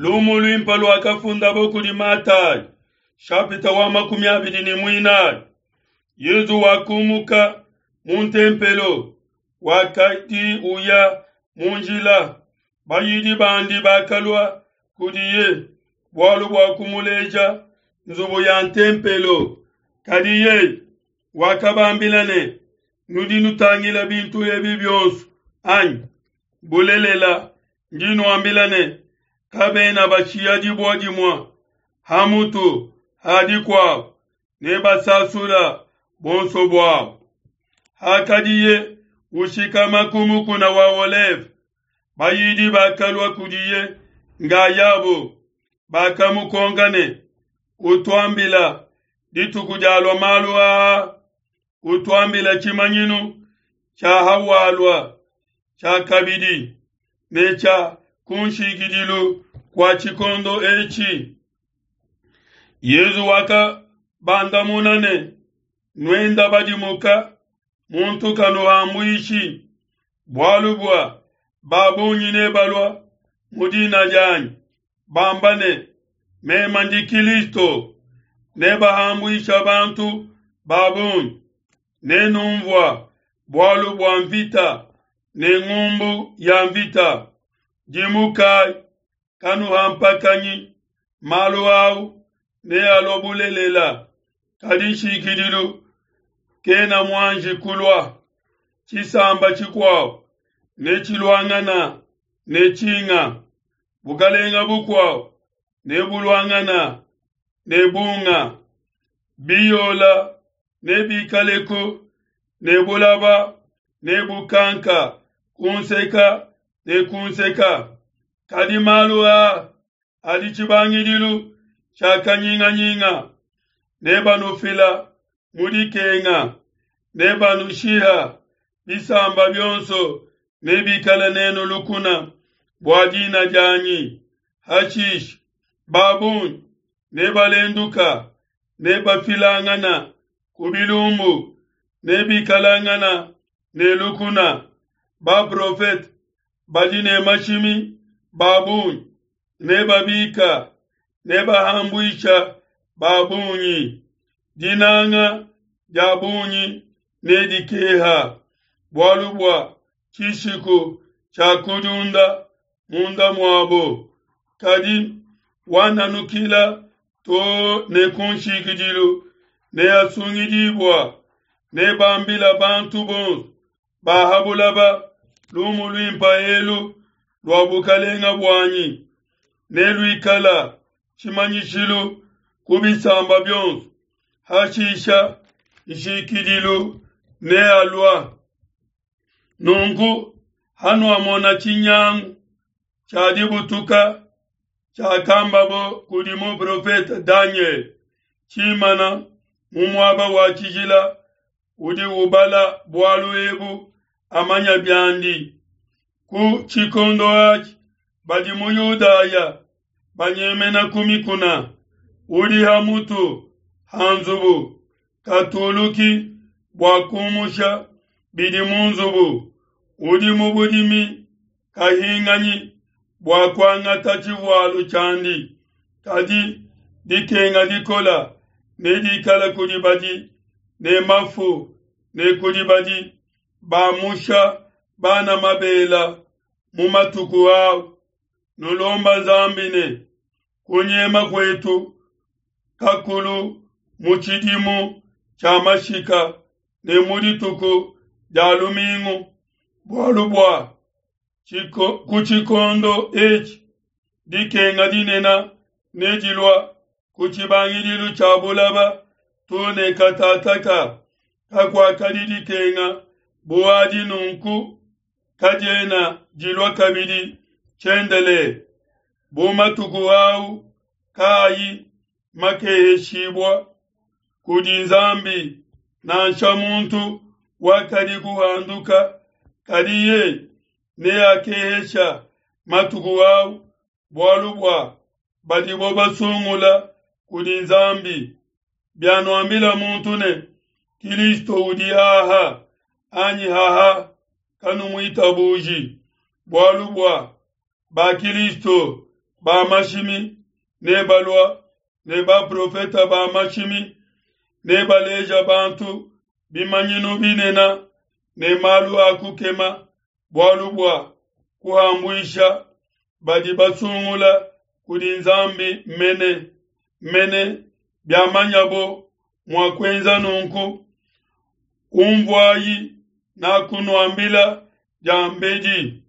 Lumu luimpe luakafundabo kudi Matayi, shapita wa 24. Yezu wakumuka mu ntempelo, wakadi uya mu njila. Bayidi bandi bakalua kudiye bualu bua kumuleja nzubu ya ntempelo. Kadi yeye wakabambila ne, nudi nutangila bintu ebi bionso anyi? Bulelela ndi nuambila ne, kabena bashiya dibue dimue ha mutu ha dikuabo, ne basasula bonso buabo. Hakadiye ushikama ku mukuna wa Oleve, bayidi bakalua kudiye ngayabo, bakamukonka ne, utuambila dituku dialua malu aa, utuambila tshimanyinu tshia hawalua tshia kabidi ne tshia kunshikidilu kua tshikondo etshi. Yezu wakabandamuna ne, nuenda badimuka, muntu kanuhambuishi, bualu bua babungi nebalua mu dina dianyi, bamba ne, meme ndi Kilisto, nebahambuisha bantu babungi. Nenumvua bualu bua mvita ne ngumbu ya mvita. Dimukai, kanuhampakanyi, malu au nealua bulelela, kadi nshikidilu kena muanji kulua. Tshisamba tshikuabo netshiluangana ne tshinga, bukalenga bukuabo nebuluangana ne bunga, biyola nebikaleku ne bulaba nebukanka kunseka ne kunseka. Kadi malu aa adi tshibangidilu tshia kanyinganyinga. Nebanufila mu dikenga, nebanushiha, bisamba bionso nebikale nenu lukuna bua dina dianyi. Hashishe babungi nebalenduka, nebafilangana ku bilumbu, nebikalangana ne lukuna. Baprofete badi ne mashimi babungi nebabika, nebahambuisha babungi. Dinanga dia bungi nedikeha, bualu bua tshishiku tshia kudiunda munda muabo. Kadi wananukila to ne kunshikidilu neasungidibua. Nebambila bantu bonso ba ha bulaba lumu luimpe elu lua bukalenga buanyi, neluikala tshimanyishilu ku bisamba bionso. Hashisha nshikidilu nealua. Nunku hanuamona tshinyangu tshia dibutuka tshiakambabo kudi muprofete Daniel tshimana mu muaba wa tshijila, udi ubala bualu ebu amanya biandi. Ku tshikondo atshi badi mu Yudaya banyemena ku mikuna, udi ha mutu ha nzubu katuluki bua kumusha bidi mu nzubu, udi mu budimi kahinganyi bua kuangata tshivualu tshiandi. Kadi dikenga dikola nedikala kudi badi ne mafu ne kudi badi bamusha bana mabela mu matuku au. Nulomba Nzambi ne kunyema kuetu kakulu mu tshidimu tshia mashika ne mu dituku dia lumingu, bualu bua ku tshikondo etshi dikenga dinene nedilua ku tshibangidilu tshia bulaba to ne katataka. Kakuakadi dikenga bu adi nunku, kadiena dilua kabidi tshiendelele. Bu matuku au kaayi makeheshibua kudi Nzambi, nansha muntu wakadi kuhanduka, kadi yeye neakehesha matuku au bualu bua badibo basungula kudi Nzambi. Bianuambila muntu ne, Kilisto udi aha anyi haha, kanumuitabuji, bualu bua ba Kilisto ba mashimi nebalua ne baprofeta ba mashimi nebaleja bantu bimanyinu binene ne malu a kukema bualu bua kuhambuisha badi basungula kudi Nzambi mene mene biamanyabo mua kuenza nunku. Unvuayi nakunuambila diambedi.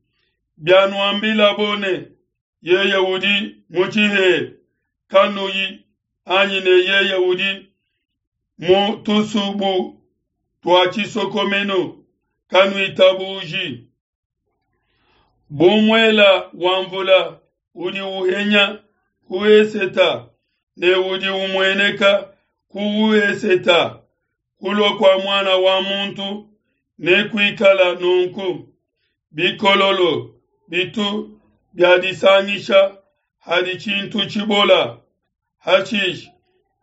Bianuambilabo ne, Yeye udi mu tshihela, kanuyi, anyi ne yeye udi mu tusubu tua tshisokomenu, kanuitabuji. Bu muela wa mvula udi uhenya ku eseta ne udi umueneka ku weseta, kulua kua Muana wa muntu nekuikala nunku. Bikololo bitu biadisangisha hadi tshintu tshibola, hashishe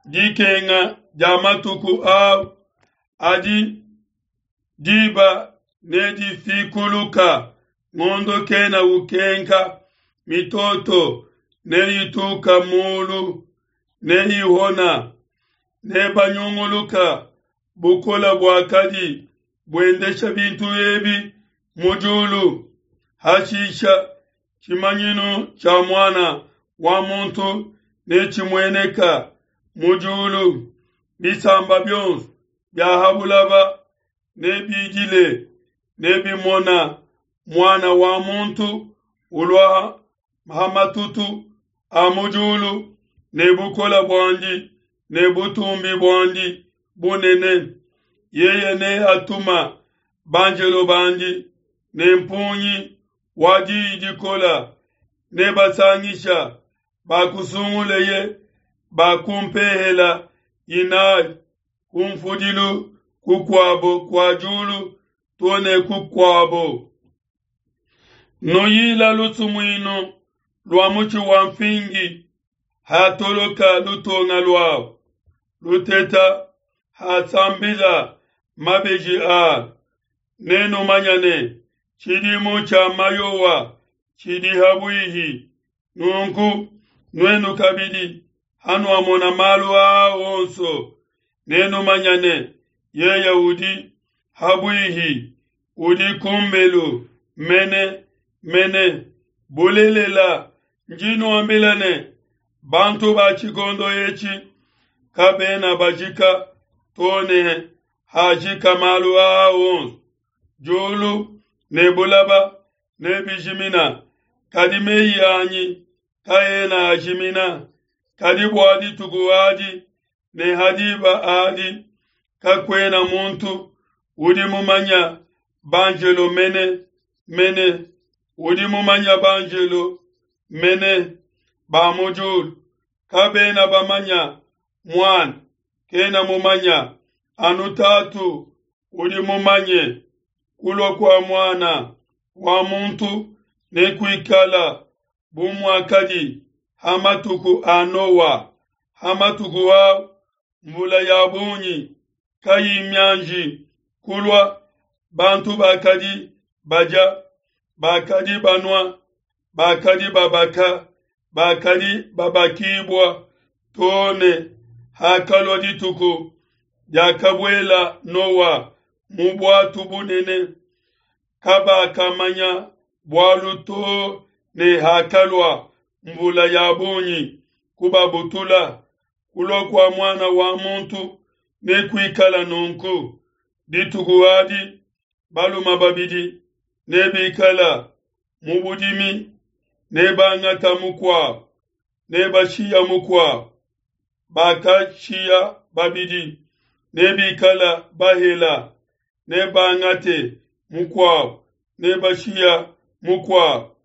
dikenga dia matuku au adi diba nedifikuluka, ngondo kena ukenka, mitoto neyituka mulu, neyihona, nebanyunguluka bukola buakadi buendesha bintu ebi mu diulu. Hashisha tshimanyinu tshia Muana wa muntu netshimueneka mu diulu, bisamba bionso bia ha bulaba nebidile, nebimona Muana wa muntu ulua ha matutu a mu diulu ne bukole buandi ne butumbi buandi bunene. Yeye neatuma banjelo bandi ne mpungi wa diyi dikola, nebasangisha bakusunguleye ba ku mpehela inayi, ku mfudilu kukuabo kua diulu to ne kukuabo. Nuyila lusumuinu lua mutshi wa mfingi, hatoloka lutonga luawu, luteta hasambila mabeji alu, nenumanya ne tshidimu tshia mayowa tshidi habuihi. Nunku nuenu kabidi, hanuamona malu aa onso, nenumanya ne yeye udi habuihi, udi kumbelu mene mene. Bulelela, ndi nuambila ne, bantu ba tshikondo etshi kabena bajika to ne hajika malu aa onso. Diulu ne bulaba nebijimina, kadi meyi anyi kaena ajimina. Kadi bua dituku adi ne ha diba adi kakuena muntu udi mumanya, banjelo mene mene udi mumanya banjelo mene ba mu diulu kabena bamanya Muana kena mumanya, anu Tatu udi mumanye. Kulua kua Muana wa muntu nekuikala bu muakadi ha matuku a Noa. Ha matuku au mvula ya bungi kayi mianji kulua, bantu bakadi badia, bakadi banua, bakadi babaka, bakadi babakibua, to ne hakalua dituku diakabuela Noa mu buatu bunene. Kabakamanya bualu to ne hakalua mvula ya bungi kubabutula. Kulua kua Muana wa muntu nekuikala nunku. Dituku adi balume babidi nebikala mu budimi, nebangata mukuabo, nebashiya mukuabo. Bakashiya babidi nebikala bahela, nebangate mukuabo, nebashiya mukuabo.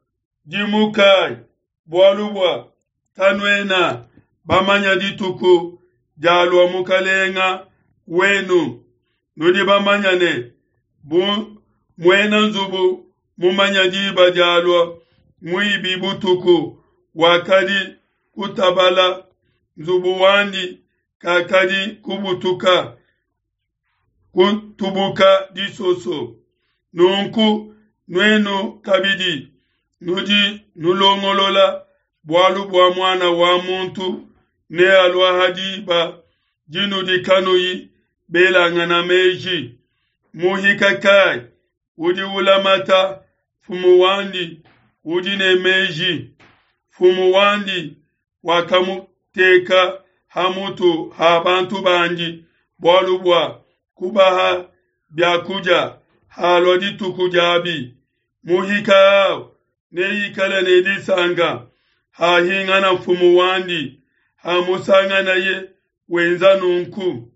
Dimukai, bualu bua kanuena bamanya dituku dialua Mukalenga wenu. Nudi bamanya ne, bu muena nzubu mumanya diba dialua muibi butuku, wakadi kutabala nzubu wandi, kakadi kubutuka kutubuka disoso. Nunku nuenu kabidi nudi nulongolola. Bualu bua Muana wa muntu nealua ha diba dinudi kanuyi belangana meji. Muhika kai udi ulamata mfumu wandi udi ne meji? Mfumu wandi wakamuteka ha mutu ha bantu bandi bualu bua kubaha bia kudia halua dituku diabi. Muhika au neikale ne disanka hahingana mfumu wandi, hamusanganaye wenza nunku.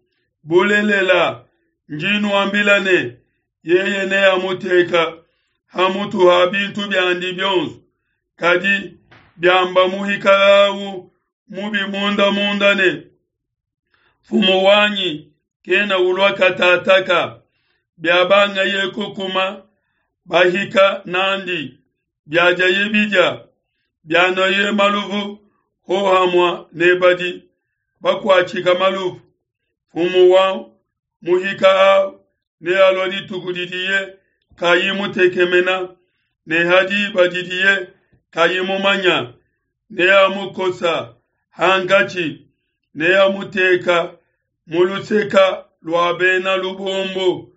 Bulelela, ndi nuambila ne, yeye neamuteka ha mutu ha bintu biandi bionso. Kadi biamba muhika au mubi munda munda ne, Mfumu wanyi kena ulua katataka, biabangaye kukuma bahika nandi, biadiaye bidia, bianuaye maluvu hohamua ne badi bakuatshika maluvu, mfumu wa muhika au nealua dituku didiye kayi mutekemena, ne ha diba didiye kayi mumanya, neamukosa hankatshi, neamuteka mu luseka lua bena lubombo,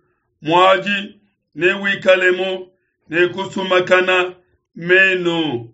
muadi newikalemu ne kusumakana menu.